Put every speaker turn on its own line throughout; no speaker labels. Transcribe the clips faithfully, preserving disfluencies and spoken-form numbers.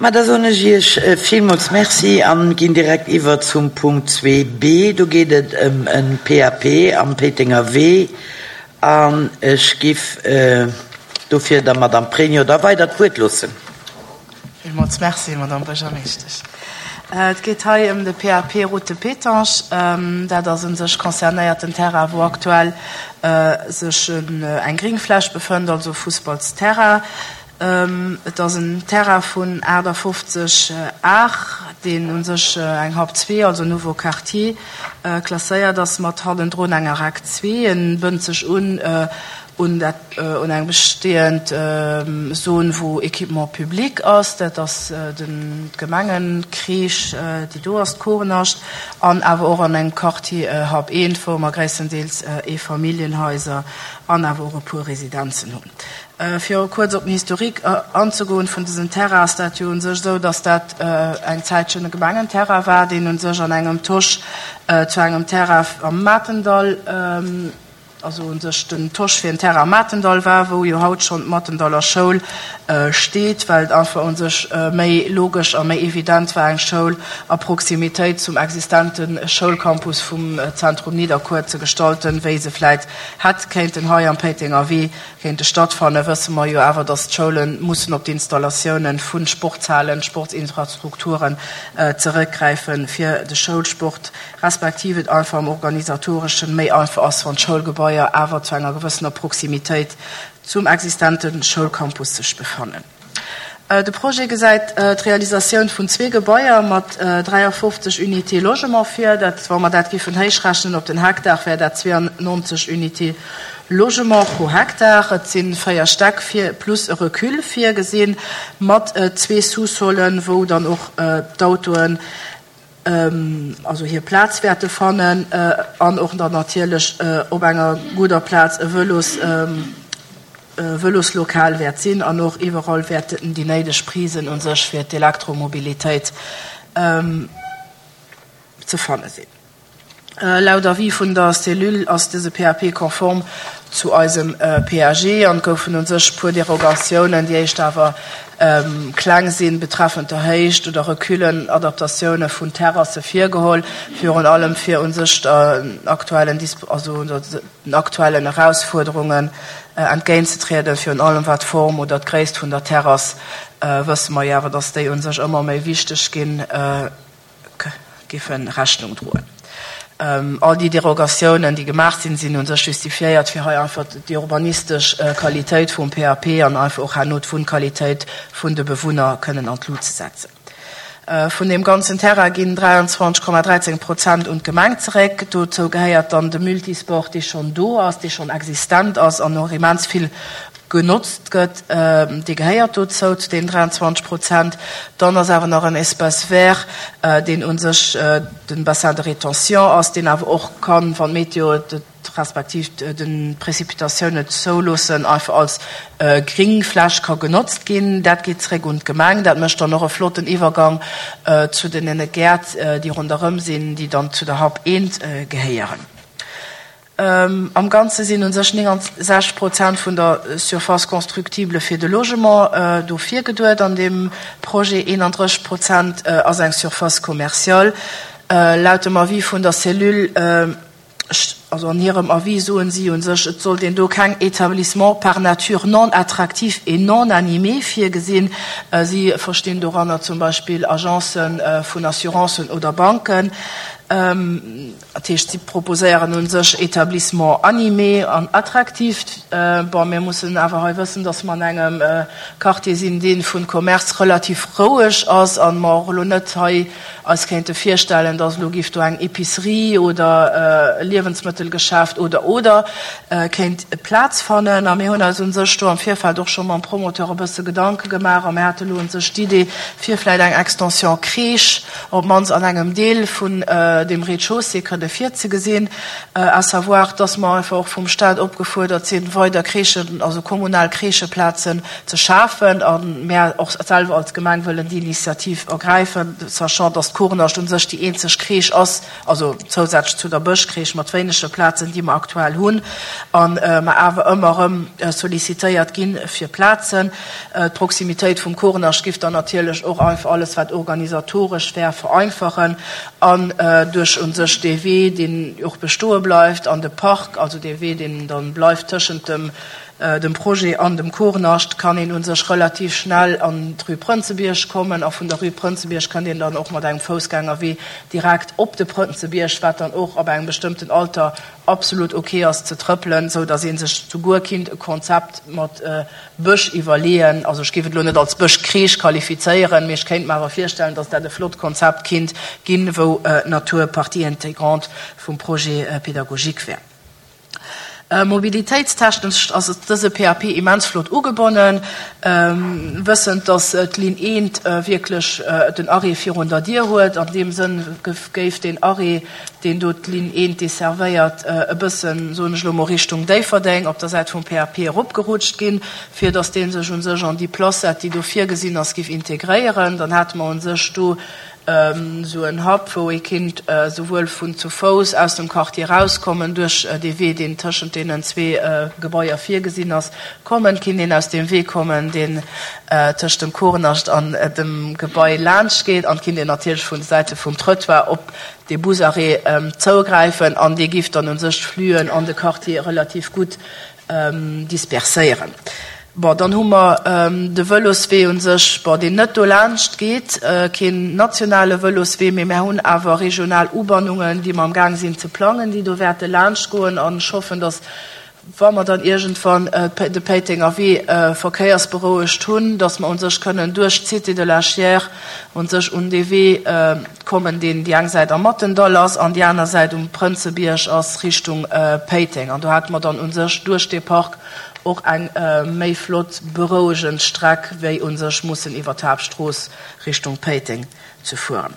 Ma da soen ech Iech villmools Merci an ginn direkt iwwer zum Punkt zwee B. Do geet et ëm e P A P am Péitenger Wee an ech giff dofir der Madame Pregno da weider d'Wuert loossen.
Villmools Merci, Madame Buergermeeschtesch. Et geet hei ëm de P A P Route de Pétange. Dat ass u sech concernéiert den Terrain, wou aktuell sech eng Gringfläch befënnt, also Fussballsterrain. Et ass en Terrain vun achtafofzeg Ar, deen u sech eng Hap zwee, also Nouveau Quartier, klasséiert ass, mat hannendrun enger RAC zwee. En bënnt sech un un dat un eng bestehend Zon, wou Équipement public ass, dat ass den d'Gemengencrèche, déi do ass, d'Korenascht, an awer och an engem Quartier Hap eent, wou mer gréisstendeels Eefamilljenhaiser an awer och e puer Residenzen hunn. Fir kuerz op den Historique anzegoen vun dësem Terrain, ass dat jo u sech esou, dass dat eng Zäitchen e Gemengenterrain war, deen u sech an engem Tosch zu engem Terrain am Matendall, also u sech den Tosch fir en Terrain am Matendall war, wou jo haut schonn d'Matendaller Schoul steet, well et einfach u sech méi logesch a méi evident war, eng Schoul a Proximitéit zum existente Schoulcampus vum Zentrum Nidderkuer ze gestalten, wéi se vläit hätt kéinten hei am Péitenger Wee kéinte stattfannen. Wësse mer jo awer, dass d'Schoule mussen op d'Installatiounen vu Sportshalen, Sportsinfrastrukturen zeréckgräifen fir de Schoulsport, respektiv et einfach am Organisatoreschen méi einfach ass, wann d'Schoulgebaier awer zu enger gewëssener Proximitéit zum existente Schoulcampus sech befannen. De Projet gesäit d'Realisatioun vun zwee Gebaier mat dräiafofzeg Unités logement vir. Dat, wa mer dat géifen héichrechnen op den Hektar, wär dat zweeannonzeg Unités logement pro Hektar. Et si véier Stäck vir plus e Recul virgesinn, mat zwee Sous-solen, wou dann och d'Autoen also hir Plaz wäerte fannen an och dann natierlech op enger gudder Plaz e Vëlos Vëloslokal wäert sinn an och iwwerall wäerten déi néideg Prisen u sech fir d'Elektromobilitéit ze fanne sinn. Laut Avis vun der Cellule ass dëse P A P konform zu eisem P A G an goufen u sech puer Derogatiounen, déi éischt awer kleng sinn, betreffend der Héicht oder Reculen, Adaptatioune vun Terrasse virgeholl, virun allem fir u sech den aktuellen, also den aktuellen Erausfuerderungen entgéintzetrieden, virun allem wat d'Form oder d'Gréisst vun der Terrass, wësse mer jo awer, dass déi u sech ëmmer méi wichteg ginn, géife Rechnung droen. All déi Derogatiounen, déi gemaach sinn, sinn u sech justifiéiert, fir hei einfach déi urbanistesch Qualitéit vum P A P an einfach och herno d'Wunnqualitéit vun de Bewunner kënnen an d'Lut ze setzen. Vun deem ganzen Terrain ginn dräianzwanzeg Komma dräizéng Prozent un d'Gemeng zeréck. Dozou gehéiert dann de Multisport, dee schonn do ass, dee schonn existent ass an och immens vill genotzt gëtt, dee gehéiert dozou, zu deenen dräianzwanzeg Prozent. Dann ass awer nach en Espace vert, deen u sech de Bassin de rétention ass, deen awer och kann, wann d'Meteo et respektiv de Précipitatioun et zouloossen, einfach als Gringfläch ka genotzt ginn. Dat geet zeréck un d'Gemeng. Dat mécht dann och e flotten Iwwergang zu den Gäert, déi ronderëm sinn, déi dann zu der Hap eent gehéieren. Am Ganze sinn u sech neunundsechzeg Prozent vun der Surface constructible fir de Logement do virgeduet an deem Projet, eenandrësseg Prozent ass eng Surface commerciale. Laut dem Avis vun der Cellule, also an hirem Avis soen si u sech, et sollt een do keng Établissement par nature non attractif et non animé virgesinn. Si verstinn doranner zum Beispill Agencen vun Assurancen oder Banken. Dat heescht, si proposéieren u sech Établissement animé an attractif. Bon, mir mussen awer hei wëssen, dass mer an engem Quartier sinn, dee vun Commerce relativ roueg ass an mer och elo net hei eis kéinte virstellen, dass elo géif do eng Épicerie oder e Liewensmëttelgeschäft oder oder kéint Plaz fannen. A mir hunn eis u sech do am Virfeld och scho mam Promoteur e bësse Gedanke gemaach a mir hate elo u sech d'Idee, fir vläicht eng Extension Crèche op d'mannst an engem Deel vun dem Rez-de-chaussée kënne virzegesinn, à savoir, dass mer einfach och vum Stat opgefuerdert sinn, weider Crèchen, also kommunal Crècheplazen ze schafen, a mär och selwer als Gemeng wëllen déi Initiativ ergräifen, sachant, dass d'Korenascht u sech déi eenzeg Crèche ass, also zousätzlech zu der Bëschcrèche mat wéinege Plazen, déi mer aktuell hunn, a mer awer ëmmer erëm sollicitéiert gi fir Plazen. D'Proximitéit vum Korenascht giff dann natierlech och einfach alles, wat organisatoresch wär, vereinfachen an duerch u sech dee Wee, deen och bestoe bleift, an de Park, also dee Wee, deen dann bleift tëschent dem dem Projet an dem Korenascht, kann een u sech relativ schnell an d'Rue Prënzebierg kommen a vun der Rue Prënzebierg kënnt een dann och mat engem Foussgängerwee direkt op de Prënzebierg, wat dann och ab engem bestëmmten Alter absolut ok ass ze trëppelen, sou datt ee sech souguer kinnt e Konzept mat Bësch iwwerleeën. Also ech géif et elo net als Bëschcrèche qualifizéieren, mee ech kéint mer awer virstellen, datt dat e flott Konzept kinnt ginn, wou d'Natur Partie intégrante vum Projet pédagogique wär. Mobilitéitstechnesch ass dëse P A P immens flott ugebonnen, wëssend, datt d'Linn eent wierklech den Arrêt virun der Dier huet. An deem Sënn géif deen Arrêt, deen do d'Linn eent desservéiert, e bëssen, soen ech elo mol, Richtung Déifferdeng op der Säit vum P A P eropgerutscht ginn, fir datt dee sech u sech an déi Placette, déi do virgesinn ass, géif integréieren. Dann hätte mer u sech do esou en Hub, wou ee kinnt souwuel vun zu Fouss aus dem Quartier rauskommen, duerch dee Wee, deen tëschent deenen zwee Gebaier virgesinn ass, kommen, kinnt een aus deem Wee kommen, deen tëscht dem Korenascht an dem Gebai laanscht geet, an kinnt een natierlech vun de Säite vum Trottoir op dee Busarrêt zougräifen, an dee giff dann u sech d'Fluen an de Quartier relativ gutt disperséieren. Bon, dann hu mer de Vëloswee un sech, bon, deen net do laanscht geet, keen nationale Vëloswee, mee mär hunn awer regional Ubannungen, déi mer am Gaang sinn ze plangen, déi do wäerte laanscht goen. An ech hoffen, dass, wa mer dann iergendwann de Péitenger Wee verkéiersberouegt hunn, dass mer un sech kënnen duerch d'Cité de la Chiers un sech un dee Wee kommen, deen déi eng Säit am Mattendall ass an déi aner Säit um Prënzebierg ass, Richtung Péiteng. An do hätte mer dann un sech duerch dee Park och eng méi flott berouegend Streck, wéi un sech mussen iwwer d'Haaptstrooss Richtung Péiteng ze fueren.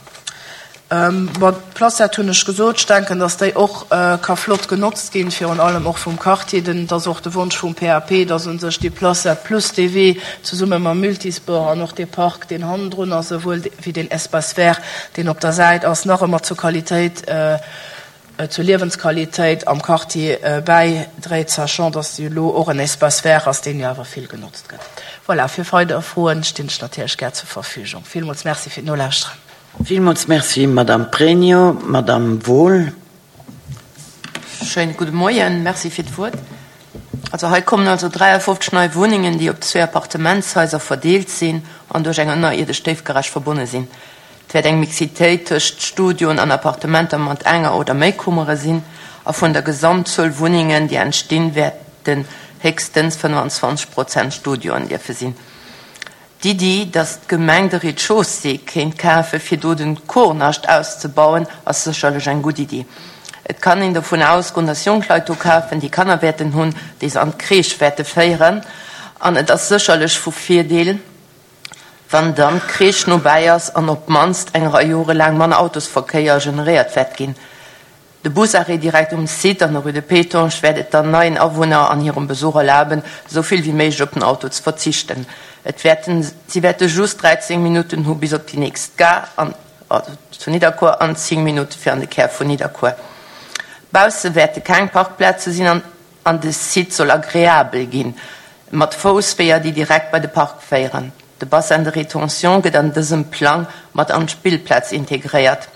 Bon, d'Placette hunn ech gesot. Ech denken, datt déi och ka flott genotzt ginn, virun allem och vum Quartier. Denn et ass och de Wonsch vum P A P, datt un sech déi Placette plus dee Wee zesumme mam Multisport an och dee Park, deen hannendrun ass, esouwuel wéi deen Espace vert, deen op der Säit ass, nach ëmmer zur Qualitéit, zur Liewensqualitéit am Quartier bäidréit, sachant, dass jo elo och en Espace vert ass, deen jo awer vill genotzt gëtt. Voilà, fir weider Froen stinn ech natierlech gär zur Verfügung. Villmools Merci fir d'Nolauschteren.
Villmools Merci, Madame Pregno. Madame Wohl.
Schéinen gudde Moien, Merci fir d'Wuert. Also hei kommen also dräiafofzeg nei Wunnengen, déi op zwee Appartementshaiser verdeelt sinn an duerch eng ënnerierdesch Déifgarage verbonne sinn. Et wäert eng Mixitéit tëscht Studioen an Appartementer mat enger oder méi Kummere sinn, a vun der Gesamtzuel Wunnengen, déi entstinn, wäerten héchstens fënnefanzwanzeg Prozent Studioen dierfe sinn. D'Iddi, datt d'Gemeng de Rez-de-chaussée kéint kafe fir do den Korenascht auszebauen, ass sécherlech eng gutt Iddi. Et kann een dovun ausgoen, datt jonk Leit do kafen, déi Kanner wäerten hunn, déi se an d'Crèche wäerte féieren. An et ass sécherlech vu Virdeel, wann dann d'Crèche nobäi ass an op d'mannst eng Rei Jore laang manner Autosverkéier generéiert wäert ginn. De Busarrêt direkt um Site an der Rue de Pétange wäert et dann neien Awunner an hirem Besuch erlaben, esou vill wéi méiglech op den Auto ze verzichten. Et wäerten, si wäerte just dräizéng Minutten hu bis op déi nächst Gare an, also zu Nidderkuer, an zéng Minutte fir an de Kär vun Nidderkuer. Bausse wäerte keng Parkplaze sinn an, an de Site soll agreabel ginn, mat Foussweeër, déi direkt bei de Park féieren. De Bassin de rétention gëtt an dësem Plang mat an d'Spillplaz integréiert.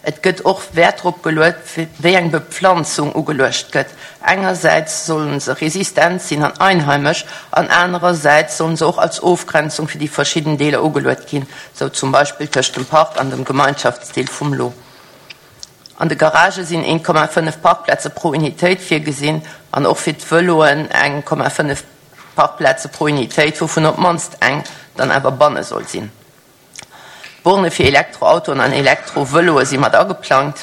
Et gëtt och Wäert drop geluet, wéi eng Bepflanzung ugeluecht gëtt. Engersäits sollen se resistent sinn an einheimesch, an anerersäits sollen se och als Ofgrenzung fir déi verschidden Deeler ugeluet ginn, sou zum Beispill tëscht dem Park an dem Gemeinschaftsdeel vum Lo. An de Garagë sinn een Komma fënnef Parkplaze pro Unitéit virgesinn an och fir d'Vëloen eng Komma fënnef Parkplaze pro Unitéit, wouvun op d'mannst eng dann awer banne soll sinn. Borne fir Elektroautoen an Elektrovëloe si mat ageplangt.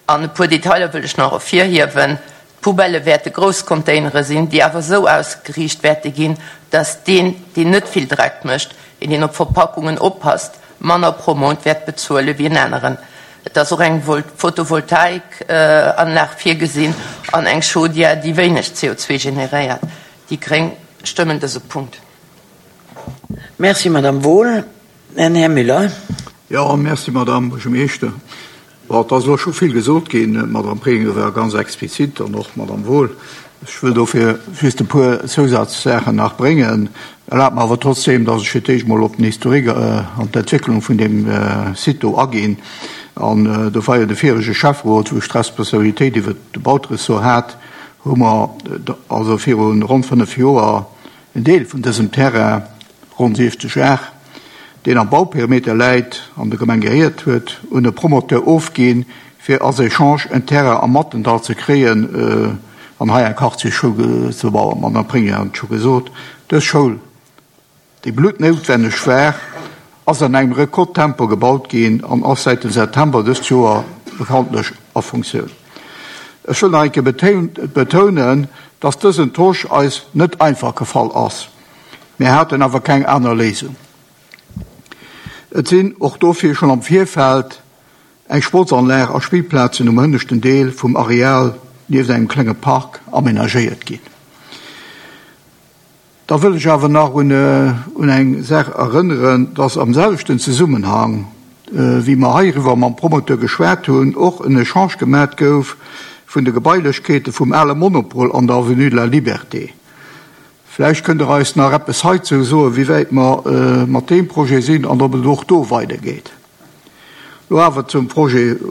An e puer Detailer wëll ech nach ervirhiewen. D'Poubellë wäerte grouss Containere sinn, déi awer esou ausgeriicht wäerte ginn, dass deen, deen net vill Dreck mécht, een, deen op Verpackungen oppasst, manner pro Mount wäert bezuele wéi en aneren. Et ass och eng Photovoltaikanlag virgesinn an eng Chaudière, déi wéineg C O zwei generéiert. Déi Gréng stëmmen dëse Punkt.
Merci, Madame Wohl. Herr Müller.
Ja, merci, Madame Buergermeeschter. Bon, da ass scho vill gesot ginn. Madame Prenger war ganz explizit an och Madame Wohl. Ech wëll dofir just e puer Zusatzsachen nach bréngen. Erlaubt mir awer trotzdem, dass ech fir d'éischt mol op den Historik äh, an d'Entwécklung vun dem äh, Site do aginn. An äh, do war ja de virege Schäfferot, wou ech d'Responsabilitéit iwwer de Bautressort hat, hu mer äh, also virun rund fënnef Joer en Deel vun dësem Terrain, rund siwwzeg Ar, deen am Bauperimeter läit an der Gemeng gehéiert huet, un e Promoteur ofginn, fir als Echange en Terrain am Mattendall ze kréien, äh, an hei eng Quartierschoul ze bauen. Madame Prenger hat scho gesot, dës Schoul, déi blutnoutwenneg war, ass an engem Rekordtempo gebaut ginn an ass seit dem September dëst Joer bekanntlech a Funktioun. Ech wëll nach eng Kéier betonen, dass dësen Tosch eis net einfach gefall ass. Mir haten awer keng aner Léisung. Et sinn och dofir schonn am Virfeld eng Sportsanlag a Spillplazen um hënneschten Deel vum Areal nieft engem klenge Park amenagéiert ginn. Da wëll ech awer nach un, un eng Saach erënneren, dass am selwechten Zesummenhang, äh, wéi mer heiriwwer mam Promoteur geschwat hunn, och en Echange gemat gouf vun de Gebailechkeete vum ale Monopol an der Avenue de la Liberté. Vläicht kënnt der eis nach eppes heizou soen, wéi wäit mer äh, mat deem Projet sinn an ob et och do weidergeet. Lo awer zum Projet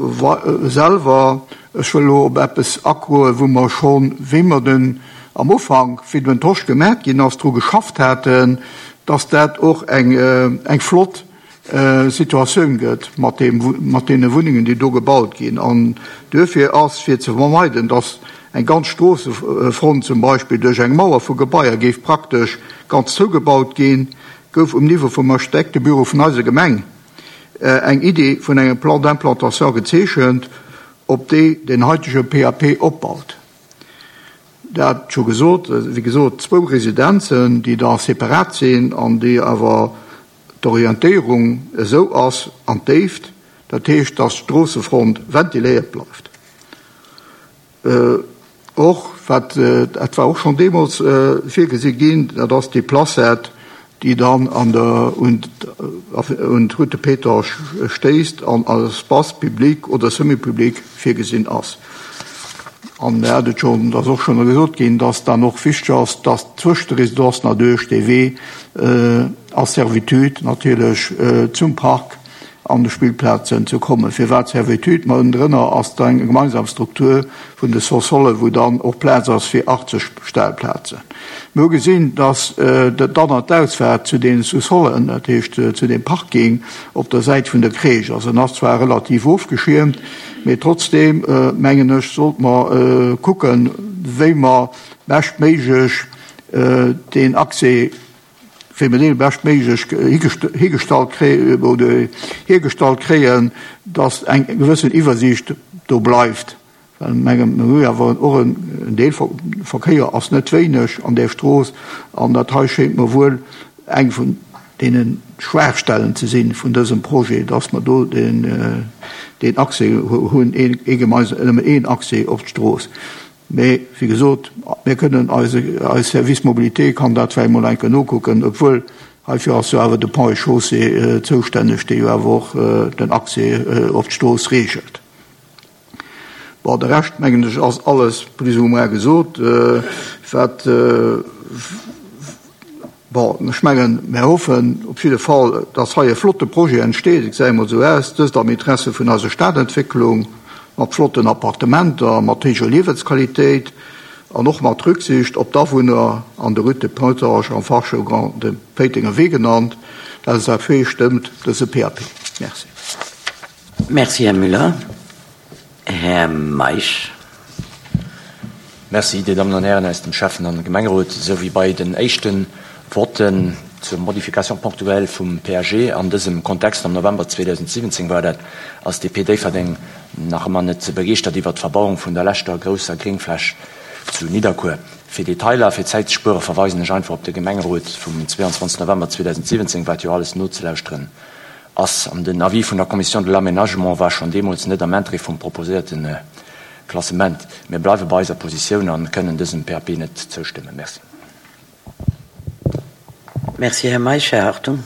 selwer. Ech wëll lo op eppes agoen, wou mer schonn, wéi mer den am Ufank, wéi den Tosch gemat ginn ass, dru geschafft haten, dass dat och eng, äh, eng flott äh, Situatioun gëtt mat dem, mat deene Wunnengen, déi do gebaut ginn. An duerfir ass fir ze vermeiden, dass eng ganz Stroossefront zum Beispill duerch eng Mauer vu Gebaier géif praktesch ganz zougebaut ginn, gouf um Niveau vum Architektebüro vun eiser Gemeng äh, eng Idee vun engem Plan d'implantation gezeechent, op déi den heitege P A P opbaut. Dat scho gesot, wéi gesot, zwou Residenzen, déi da separat sinn an déi awer d'Orientéierung esou ass an d'Déift, dat heescht, dass d'Stroossefront ventiléiert bleift. Äh, och, wat, äh, dat war och schonn deemools, äh, virgesi ginn, dat ass déi Placette, déi dann an der, un, un d'Route Pétange stéisst an als Espace public oder semi-public virgesinn ass. An er hat et schon, das och schon gesot ginn, dass dann och wichteg ass, dass zwëscht de Residenzen natierlech de Wee, äh, als Servitude natierlech, äh, zum Park an de Spillplazen zu kommen. Fir wat Servitude? Ma ënnendrënner ass da eng gemeinsam Struktur vun de Sous-Solle, wou dann och Plaz ass fir achtzeg Stellplazen. Mir hu gesinn, dass, äh, dann an d'Ausfahrt zu den Sous-Sollen, dat heescht, äh, zu dem Parking op der Säit vun der Crèche. Also en ass zwar relativ ofgeschirmt, mee trotzdem, äh, mengen ech, sollt man, äh, kucken, wéi man bestméiglech, äh, den Accès wéi man den bestméiglech higestalt kréien oder hergestallt kréien, dass eng gewëssen Iwwersicht do bleift. Well mengem, mir hu awer och en, en Deel Verkéier ass net wéineg an der Strooss, an dat hei schéint mir wuel eng vun deenen Schwaachstellen ze sinn vun dësem Projet, dass mer do den, äh, den Accès hunn, een, ee gemeinsam, nëmmen een Accès op d'Strooss. Mee, wéi gesot, mir kënnen eise, eis Service Mobilité kann dat vläicht mol eng Kéier nokucken, obwuel heifir ass jo awer de Pont et Chaussée, äh, zoustänneg, dee jo awer och, äh, den Accès, äh, op d'Strooss regelt. Bon, de Rescht, mengen ech, ass alles plus ou moins gesot, äh, wat, äh, bon, ech mengen, mir hoffen op jidde Fall, dass hei e flotte Projet entsteet, ich sage mal so aus, dëst am Interesse vun eiser Stadentwicklung, mat flotten Appartementer, mat héijer Liewensqualitéit an och mat Rücksicht op d'Awunner an der Route de Pétange am Fachjargon de Péitenger Wee genannt. D'L S A P stëmmt dëse P A P. Merci.
Merci, Herr Müller. Herr Meisch.
Merci, Dir Damen und Herren aus dem Schäffen- an Gemengerot, sou wéi bei den éischten Voten zur Modification ponctuelle vum P A G an dësem Kontext am November zweitausendsiwwenzéng war dat, ass D P Déifferdeng nach ëmmer net ze begeeschtert iwwer d'Verbauung vun der leschter grousser Gréngfläch zu Nidderkuer. Fir Detailer, fir Zäit ze spuere, verweisen ech einfach op de Gemengerot vum zweiundzwanzigsten November zweitausendsiwwenzéng, wat jo alles nozelauschteren ass. An den Avis vun der Commission de l'aménagement war schonn deemools net am Interêt vum proposéierte Klassement. Mir bleiwe bei eiser Positioun a kënnen dësem P A P net zoustëmmen. Merci.
Merci, Här Meisch. Här Hartung.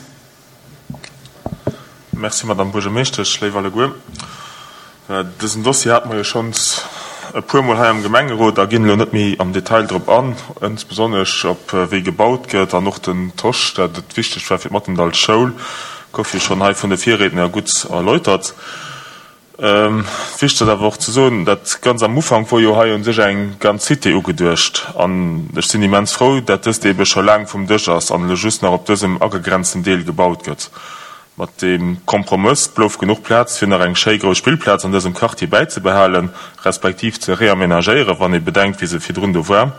Merci, Madame Buergermeeschtesch. Léif alleguer, dësen Dossier hate mer jo schonns e puermol hei am Gemengerot a ginn elo net méi am Detail drop an, insbesonnesch op wéi gebaut gëtt an och den Tosch, dat et wichteg war fir d'Mattendall-Schoul, gouf jo schonn hei vun de Virriedner gutt erläutert. Wichteg ass awer och ze soen, dat ganz am Ufank wor jo hei un sech eng ganz Cité ugeduecht an ech sinn immens frou, dat dëst eebe scho laang vum Dësch ass an elo just nach op dësem agegrenzten Deel gebaut gëtt. Mat deem Kompromëss blouf genuch Plaz fir nach eng schéi grouss Spillplaz an dësem Quartier bäizebehalen, respektiv ze reamenagéieren, wann ee bedenkt wéi se virdrun do war,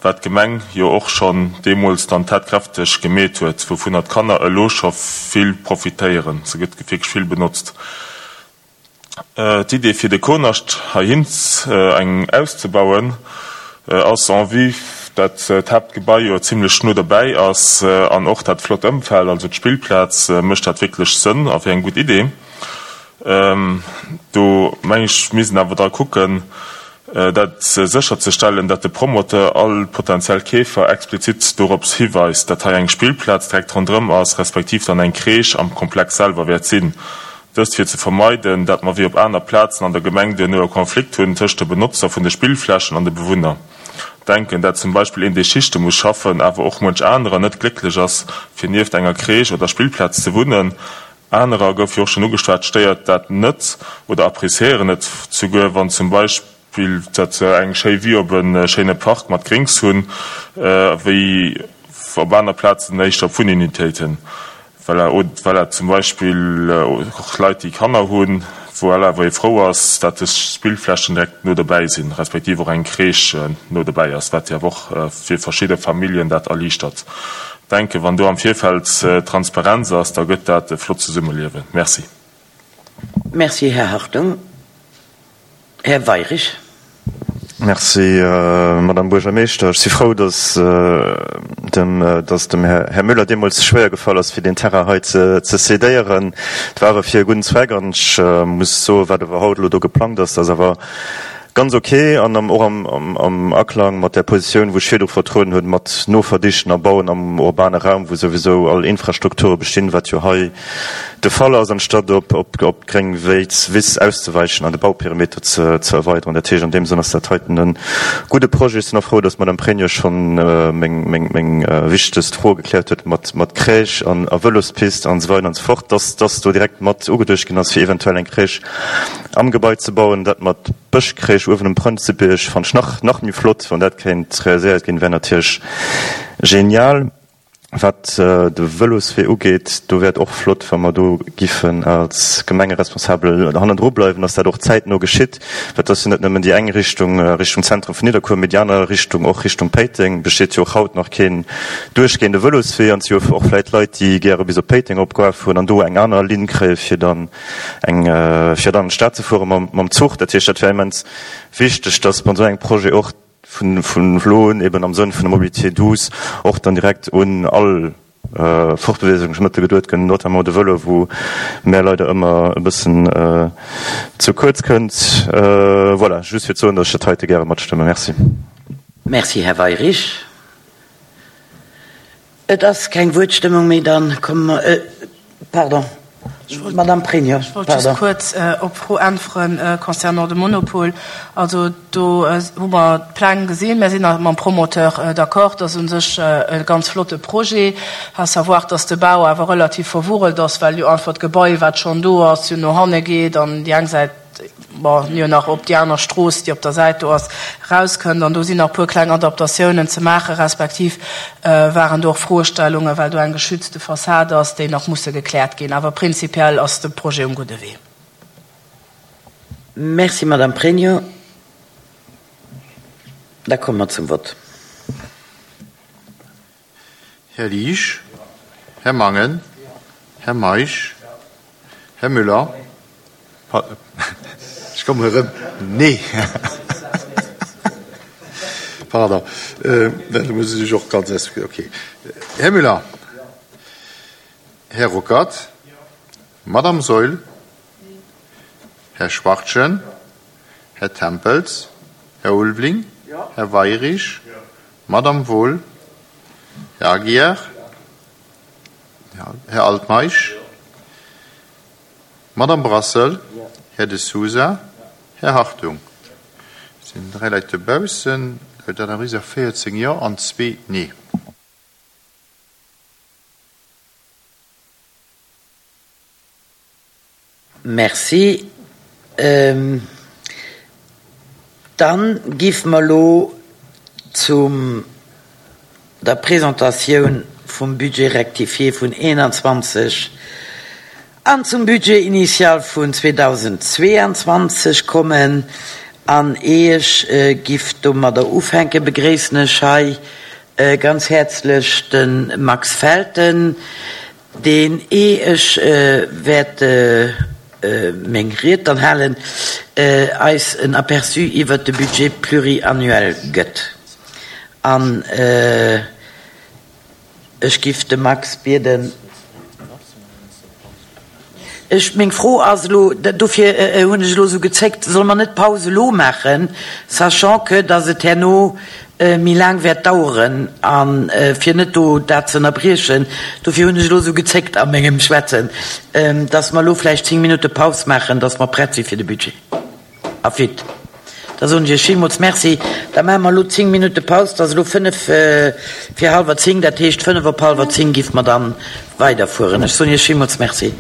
wat d'Gemeng jo och schonn deemools dann tatkräfteg gemeet huet, wouvunner d'Kanner elo scho vill profitéieren. Se gëtt wierklech vill benotzt. D'Idee fir de Konascht heihin eng auszebauen ass en vue dat d'Haaptgebai jo zimlech no dobäi ass an och dat flott Ëmfeld, also d'Spillplaz, mécht dat wierklech Sënn a wier eng gutt Idee. Do meng ech misst een awer dra kucken dat sécherzestellen, dat de Promoteur all potentiell Keefer explizit dorops hiweist, dat hei eng Spillplaz direkt ronderëm ass, respektiv dann eng Crèche am Komplex selwer wäert sinn. Dëst fir ze vermeiden, dat mer wéi op aner Plazen an der Gemeng duerno e Konflikt hunn tëscht de Benotzer vun de Spillflächen an de Bewunner. Denken, dat zum Beispill een dee Schichte muss schaffen, awer och muench anerer net glécklech ass fir nieft enger Crèche oder Spillplaz ze wunnen. Anerer, gouf jo och schonn ugeschwat, stéiert dat net oder appréciéieren et souguer, wann zum Beispill dat se eng schéi Vue op e schéine Park mat Grings hunn, wéi op aner Plazen éischter op Wunnunitéiten. Voilà, voilà, zum Beispill och Leit, déi Kanner hunn, voilà, wou ee frou ass, dat dës Spillflächen direkt no dobäi sinn, respektiv och eng Crèche no dobäi ass, wat jo awer och fir verschidde Familljen dat erliichtert. Denken, wann do am Virfeld Transparenz ass, da gëtt dat e flott Zesummeliewen. Merci.
Merci, Här Hartung. Här Weirich.
Merci, Madame Buergermeeschter. Ech si frou, dass dem, dass dem Här Müller deemools schwéier gefall ass, fir deen Terrain hei ze cédéieren. Et war awer fir e gudden Zweck an ech muss soen, wat awer haut elo do geplangt ass, dat ass awer ganz ok an och am Aklang mat där Positioun, wou ech virdru vertrueden hunn, mat Noverdichten a Bauen am urbane Raum, wou souwisou all Infrastrukture bestinn, wat jo hei de Fall ass, anstatt op d'gréng Wiss auszeweichen an de Bauperimeter ze erweideren. Dat heescht, an deem Sënn ass dat heiten e gudde Projet. Ech sinn och frou, dass d'Madame Pregno schonn meng wichtegst Fro gekläert huet mat Crèche a Vëlospist an esou weider an esou fort, dass dass do direkt mat ugeduecht ginn ass, fir eventuell eng Crèche am Gebai ze bauen. Dat mat Bëschcrèche uewen um Prënzebierg fannt ech nach nach méi flott. Wann dat kéint realiséiert ginn, wär natierlech genial. Wat de Vëloswee ugeet, do wär et och flott, wa mer do giffen als Gemengeresponsabel hannendru bleiwen, dass dat och zäitno geschitt, well et ass jo net nëmmen déi eng Richtung, Richtung Zentrum vun Nidderkuer, mee déi aner Richtung, och Richtung Péiteng, besteet jo och haut nach keen duerchgehende Vëloswee. An et si jo och vläicht Leit, déi gäre bis op Péiteng eropgoe fueren an do eng aner Linn kréie fir dann eng, fir dann an d'Stad ze fuere mam Zuch. Dat heescht, dat wär immens wichteg, dass bei esou engem Projet och vun elo un eben am Sënn vun der Mobilité douce och dann direkt un all Fortbeweegungsmëttel geduet gëtt, notamment de Vëlo, wou mär leider ëmmer e bëssen ze kuerz kënnt. Voilà, just fir ze soen, datt ech dat heite gäre matstëmme. Merci.
Merci, Här Weyrich. Et ass keng Wuertstëmmung méi, dann komme mer, pardon, Madame Pregno,
Ech wollt just
pardon.
kuerz op d'Fro äntweren concernant de Monopol. Also do hu mer d'Pläng gesinn. Mir sinn mam Promoteur d'accord, dat ass u sech e ganz flotte Projet, à savoir, dass de Bau awer relativ verwurrelt ass, well jo einfach d'Gebai, wat schonn do ass, jo no hanne geet an déi eng Säit, bon, jo nach op déi aner Strooss, déi op der Säit do ass, erauskënnt. An do sinn nach e puer kleng Adaptatiounen ze maachen, respektiv waren do och Froestellungen, well do eng geschützte Fassad ass, déi nach musse gekläert ginn. Awer prinzipiell ass de Projet um gudde Wee.
Merci, Madame Pregno. Da komme mer zum Vott.
Här Liesch, Här Mangen, Här Meisch, Här Müller, ech kommen erëm, nee, pardon, da muss ech och ganz, okay, Här Müller, Här Ruckert, Madame Saeul? Här Schwachtgen? Här Tempels? Här Ulveling? Här Weirich? Madame Wohl? Här Aguiar? Här Altmeisch? Madame Brassel? Här De Sousa? Här Hartung? Et sinn dräi Leit dobaussen. Dat ergëtt véierzéng Jo an zwee Nee.
Merci. Dann giff mer elo zum der Presentatioun vum Budget rectifié vun eenanzwanzeg an zum Budget initial vun zweedausendzweeanzwanzeg kommen. An ee ech giff domadder ufänken, begréissen ech hei ganz häerzlech de Max Felten, deen, ee ech wäert meng Ried dann halen, eis en Aperçu iwwert de Budget pluriannuel gëtt. An ech giff de Max bieden. Ech, meng Fro ass elo, dofir hunn ech elo esou gezéckt, solle mer net d'Paus elo maachen, sachant que dass et herno méi laang wäert daueren, a fir net do dat ze ënnerbriechen, dofir hunn ech elo esou gezéckt a mengem Schwätzen, dass mer elo vläicht zéng Minutte Paus maachen, dass mer prett si fir de Budget. A fit. Da soen ech Iech villmools Merci. Da maache mer elo zéng Minutte Paus. Et ass elo fënnef vir hallwer zéng, dat heescht fënnef op hallwer zéng géife mer da weiderfueren. Ech soen Iech villmools Merci.